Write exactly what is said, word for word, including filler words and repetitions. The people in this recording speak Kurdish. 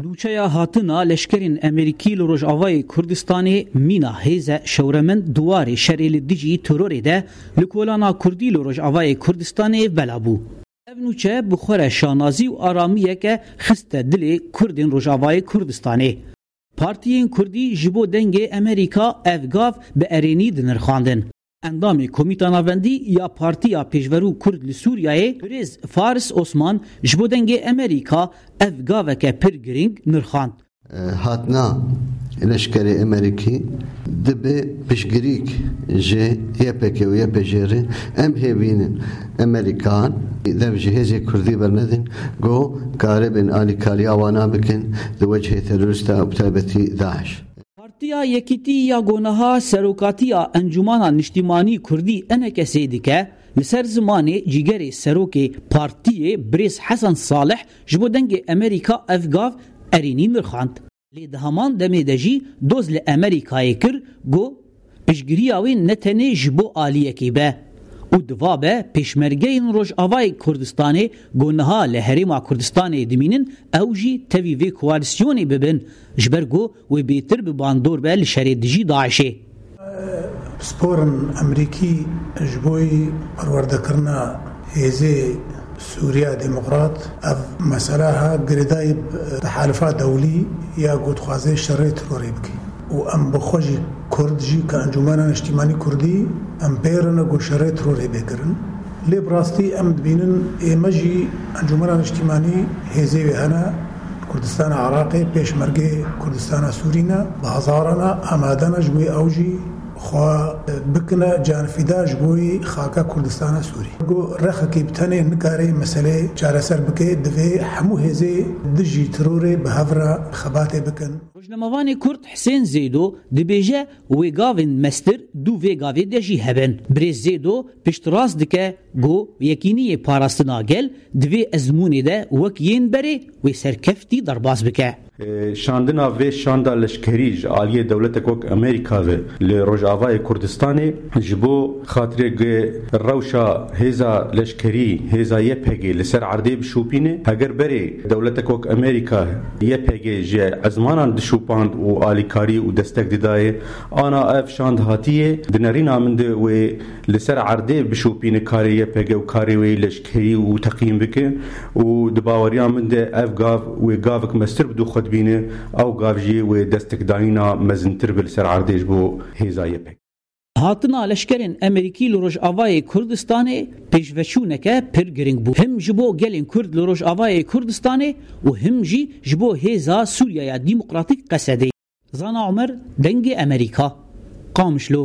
Nûçeya hatina leşkerên Amerîkî li Rojavayê Kurdistanê mîna hêze şewremend di warê şerê li dijî terorê de li kolana Kurdî li Rojavayê Kurdistanê bela bû. Ev nûçe bi xwe re şanazî û aramiyeke xiste dilê Kurdên Rojavayê Kurdistanê. Partiyên Kurdî ji bo dengê Amerîka ev gav bi erênî dinirxandin. Endamê Komîta Navendî ya Partiya Pêşverû Kurd li Sûriyeyê, Birêz Faris Osman, ji bo dengê Amerîka ev gaveke pir girîng nirxand. Hatina leşkerê Amerîkî dibe piştgirîk ji Y P G û Y P G re. Em hêvînin Amerîkan dev ji hêzê Kurdî bernedin, ku karibin alîkariya wana bikin di wecihê terorîsta û bi taybetî DAIŞ. Partiya Yekîtî ya ku niha serokatiya Encûmana Niştîmanî Kurdî, E N K S'ê dike, li ser zimanê cîgerê serokê partiyê Birêz Hesen Salih ji bo dengê Amerîka ev gav erênî nirxand. Lê di heman demê de jî doz li Amerîkayê kir, got, piştgiriya wê ne tenê ji bo aliyekê be û diva be pêşmergeyên Rojavayê Kurdistanê ku niha li Herêma Kurdistanê dimînin, ew jî tevî vê koalîsyonê bibin, ji ber ku wê bêtir bi bandor be li şerê dijî DAIŞê. Pisporin Amerîkî ji bo perwerdekirina hêzê Sûriya Demokrat, ev mesela ha girêdayî bi tehalifa dewlî ya ku dixwaze şerê terorê bike. Û em bi xwe jî Kurd jî ke Encûmena Niştîmanî Kurdî, em pê re ne ku şerê terorê bê kirin. Lê bi rastî em dibînin ê me jî Encûmena Niştîmanî hêzê wê hene, Kurdistana Iraqê, pêşmergê Kurdistana Sûrî ne, bi hezarana amade ne ji wê ew jî xwe bikine canfîda ji bo xaka Kurdistana Sûrî. Ku rexekî bi tenê nikare meselê çareser bike, divê hemû hêzê dijî terorê bi hev re xebatê bikin. Rojnamevanê Kurd Hisên Zêdo dibêje wê gavên mestir dû vê gavê de jî hebin. Birêz Zêdo piştrast dike ku yekîniyê parastina gel di vê ezmûnê de wek yên berê wê serkeftî derbas bike. Şandina vê şanda leşkerî ji aliyê dewletek wek Amerîka ve li Rojavayê Kurdistanê ji bo xatirê ku rewşa hêza leşkerî, hêza Y P G li ser erdê bişopîne. Heger berê dewletek wek Amerîka Y P G ji ezmanan dişopand û alîkarî û destek didayê, ana ev şand hatiye, di nerîna min de wê li ser erdê bişopîne karê Y P G û karê wê leşkerî û teqîm bike û di baweriya min de ev gav wê gavek mestir bi dû xwe dibîne, ew gav jî wê destekdayîna mezintir be li ser erdê ji bo hêza Y P G. Hatina leşkerên Amerîkî li Rojavayê Kurdistanê pêşveçûneke pir girîng bû. Him ji bo gelên Kurd li Rojavayê Kurdistanê û him jî ji bo hêza Sûriyeya Demokratîk, Qesedê. Zana Omer, Dengê Amerîka, Qamişlo.